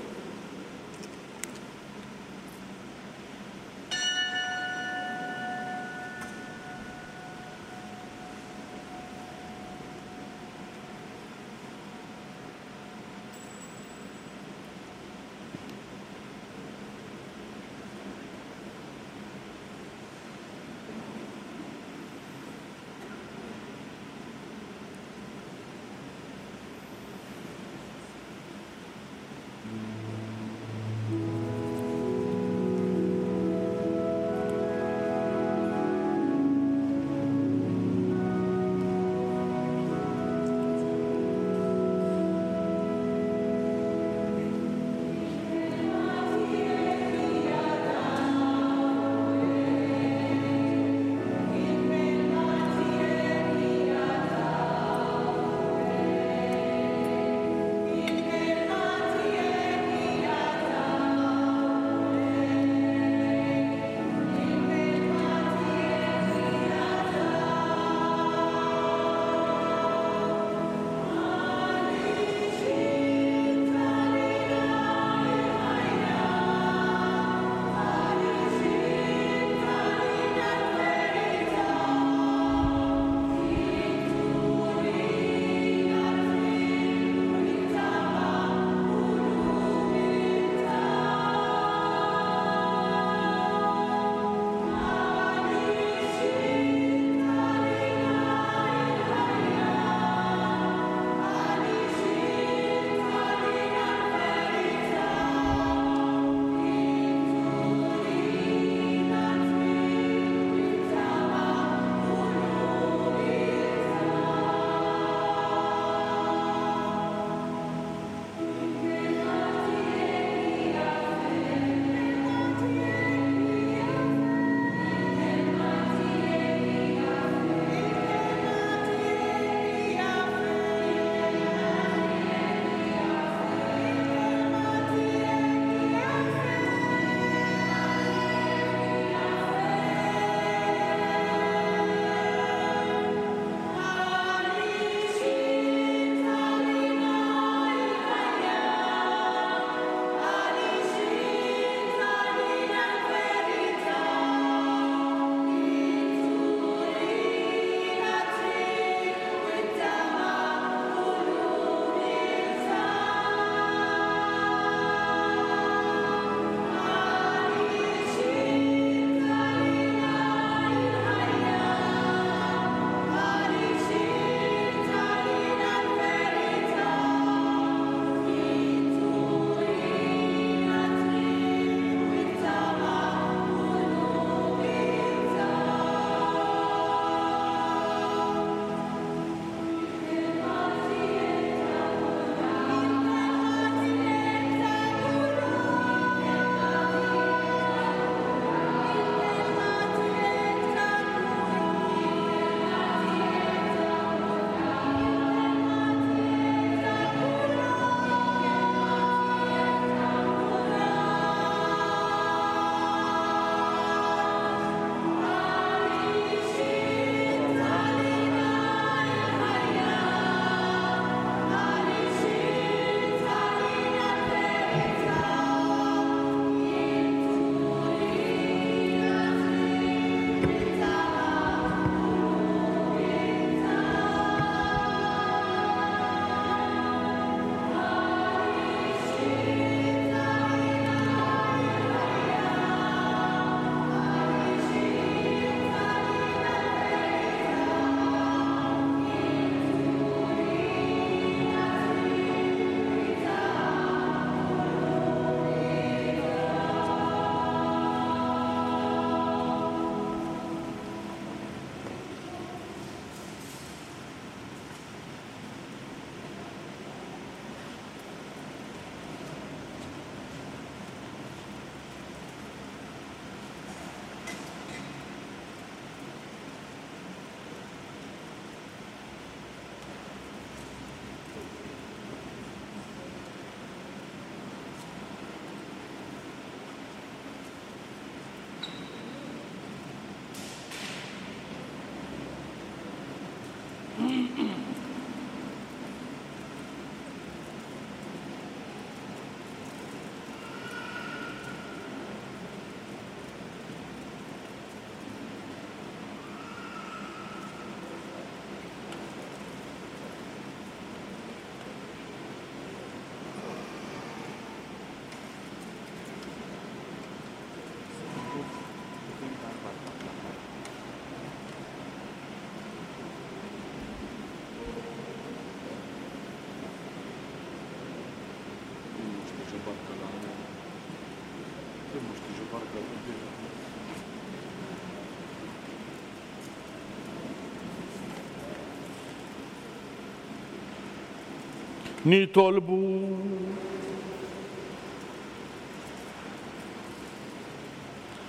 Nitolbu.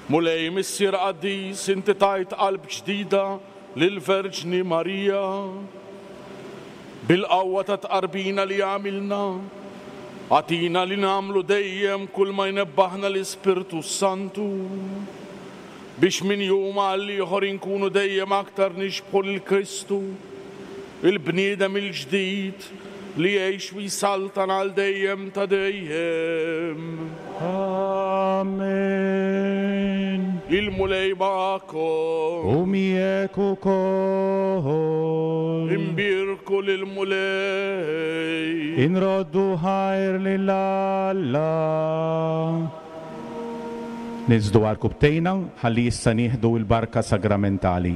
Mulej Missier Qaddis, inti tajt qalb ġdida lill-Verġni Marija. Bil-qawwa ta' tqarbina li għamilna, għatina li nagħmlu dejjem kull ma jnebbaħna l-Ispirtu Santu, biex minn jum għal ieħor inkunu dejjem aktar nixbħu lil Kristu, il-bniedem il-ġdid li jgħix u jsaltan għal dejjem ta' dejjem. Amen. Il-Mulej magħkom. U miegħek ukoll. Imbierku lill-Mulej. Inroddu ħajr lil Alla. Niżdu għal kubtejna ħalli issa nieħdu l-barka sagramentali.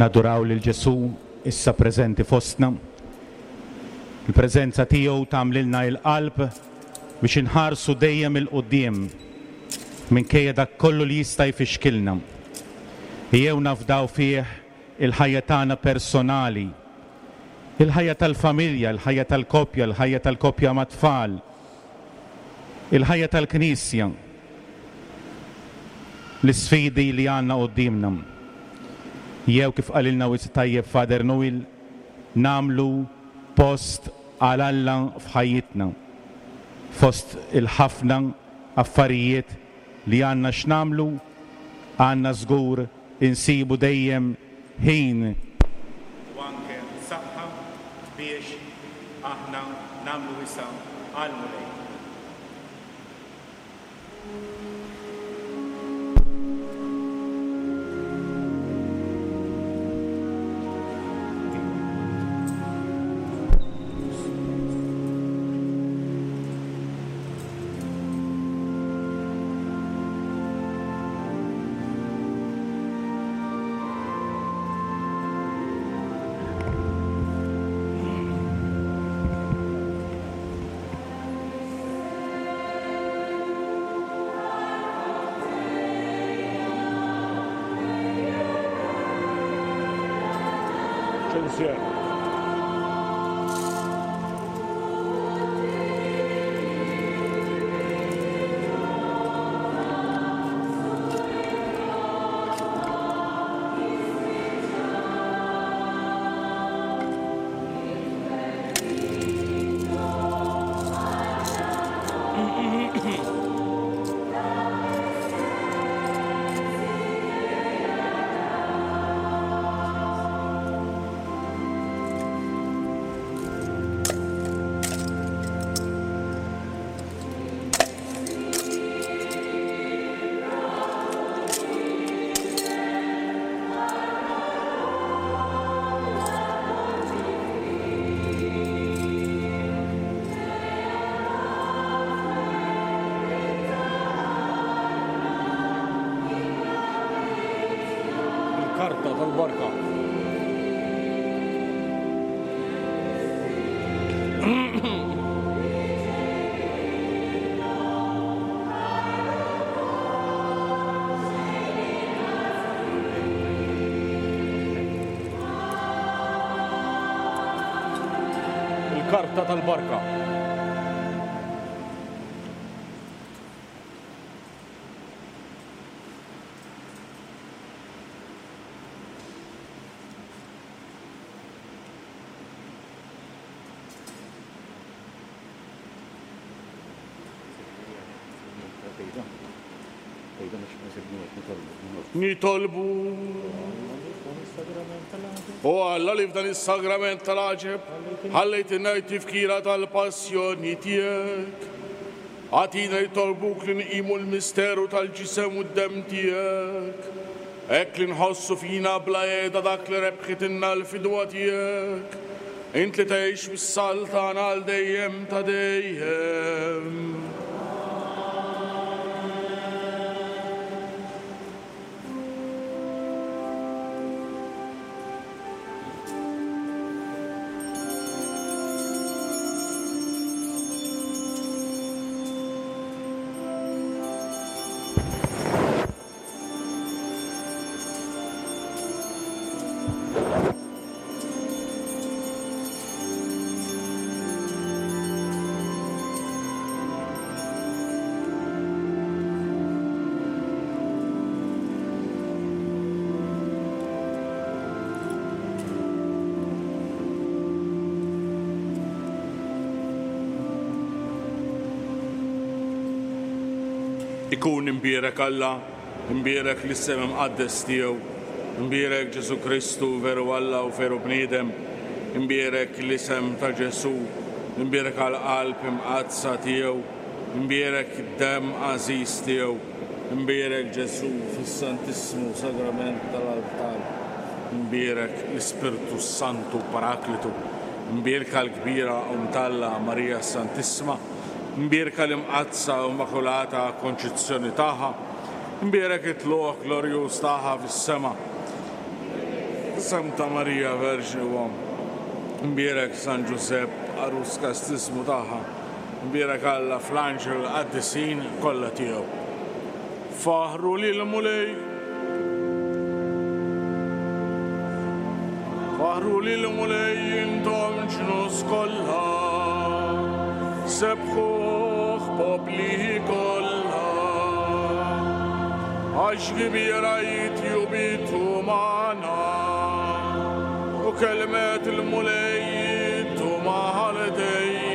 Naduraw lil Ġesù issa preżenti fostna. Il-preżenza tiegħu tagħmlilna il-qalb biex inħarsu dejjem il-quddiem minkejja dak kollu li jista' jfixkilna. Ejjew nafdaw fih il-ħajja tagħna personali, il-ħajja tal-familja, il-ħajja tal-koppja, il-ħajja tal-koppja mat-tfal, il-ħajja tal-Knisja, l-isfidi li għandna quddiemna. Jew kif qalilna wisq tajjeb Father Noel, namlu post għal Alla f'ħajjitna, fost il-ħafna affarijiet li għandna x'namlu, għandna żgur insibu dejjem ħin u anke saħħa biex aħna namlu wisa għall-Mulej. Karta tal-barka. It-tarta tal-barka. Nitolbu. O Alla li f'dan is-sagrament tal-għaġeb ħallejtilna t-tifkira tal-passjoni tiegħek. Agħtina nitolbuk li nqimu l-misteru tal-ġisem u d-demm tiegħek, hekk li nħossu fina bla qiegħda dak li rebħitilna l-fidwa tiegħek. Int li tgħix bis-saltana għal dejjem ta' dejjem. Ikun imbierek Alla, imbierek l-isem imqaddes tiegħu, imbierek Ġesu Kristu veru Alla u veru bniedem, imbierek l-isem ta' Ġesu, imbierek għall-qalb imqaddsa tiegħu, imbierek id-demm għażiż tiegħu, imbierek Ġesu fis-Santissmu Sagrament tal-Altar, imbierek l-Ispirtu Santu Paraklitu, imbierka l-kbira Omm t'Alla Marija Santissima, imbierka l-imqaddsa u immakulata konċizzjoni tagħha, imbierek it-tluq glorjuż tagħha fis-sema. Santa Marija Verġni u Omm, imbierek San Ġużepp għarus kastismu tagħha, imbierek Alla fl-anġel qaddisin kollha tiegħu. Faħru lil Mulej, faħru lil Mulej intom ġnus kollha, sebħuh popli kollha, għax kbira jitjubitu magħna, u kelmet il-Mulej jittu maħal dejjem.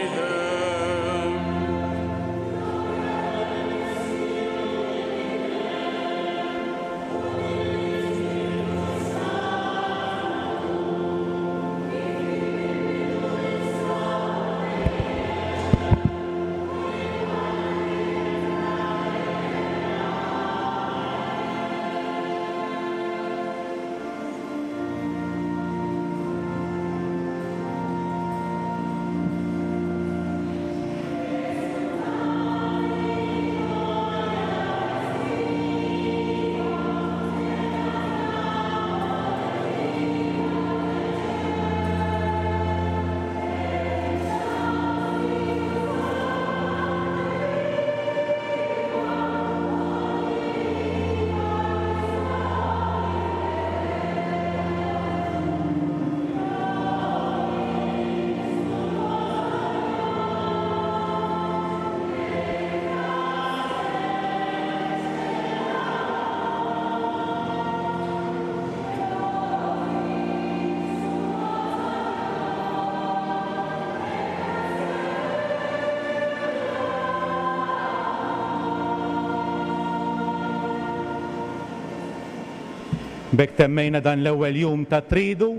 B'hekk temmejna dan l-ewwel jum ta' tridu.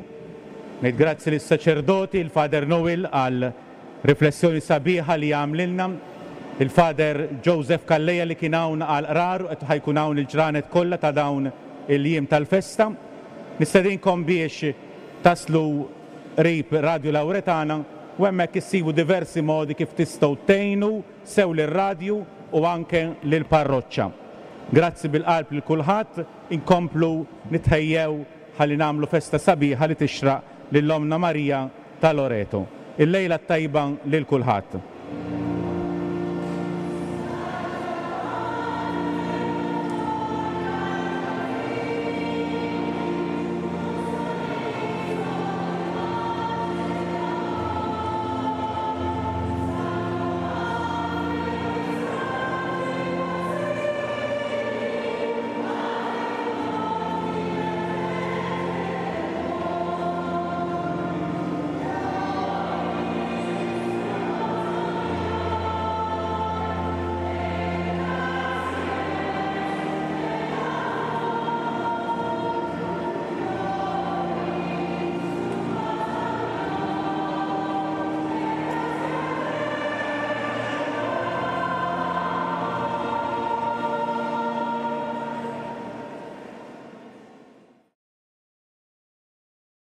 Ngħid grazzi lis-saċerdoti, il-Father Noel għal riflessjoni sabiħa li għamlilna, il-Father Joseph Calleja li kien hawn għal qrar u qed ħajkun hawn il-ġranet kollha ta' dawn il-jiem tal-festa. Nistedinkom biex taslu qrib Radio Lauretana u hemmhekk issibu diversi modi kif tistgħu tgħinu sew lir-radju u anke lill-parroċċa. Grazzi bil-qalb lil kulħadd, inkomplu nitħejjew ħalli nagħmlu festa sabiħa li tixraq lil Ommna Marija ta' Loreto. Il-lejla t-tajba lil kulħadd.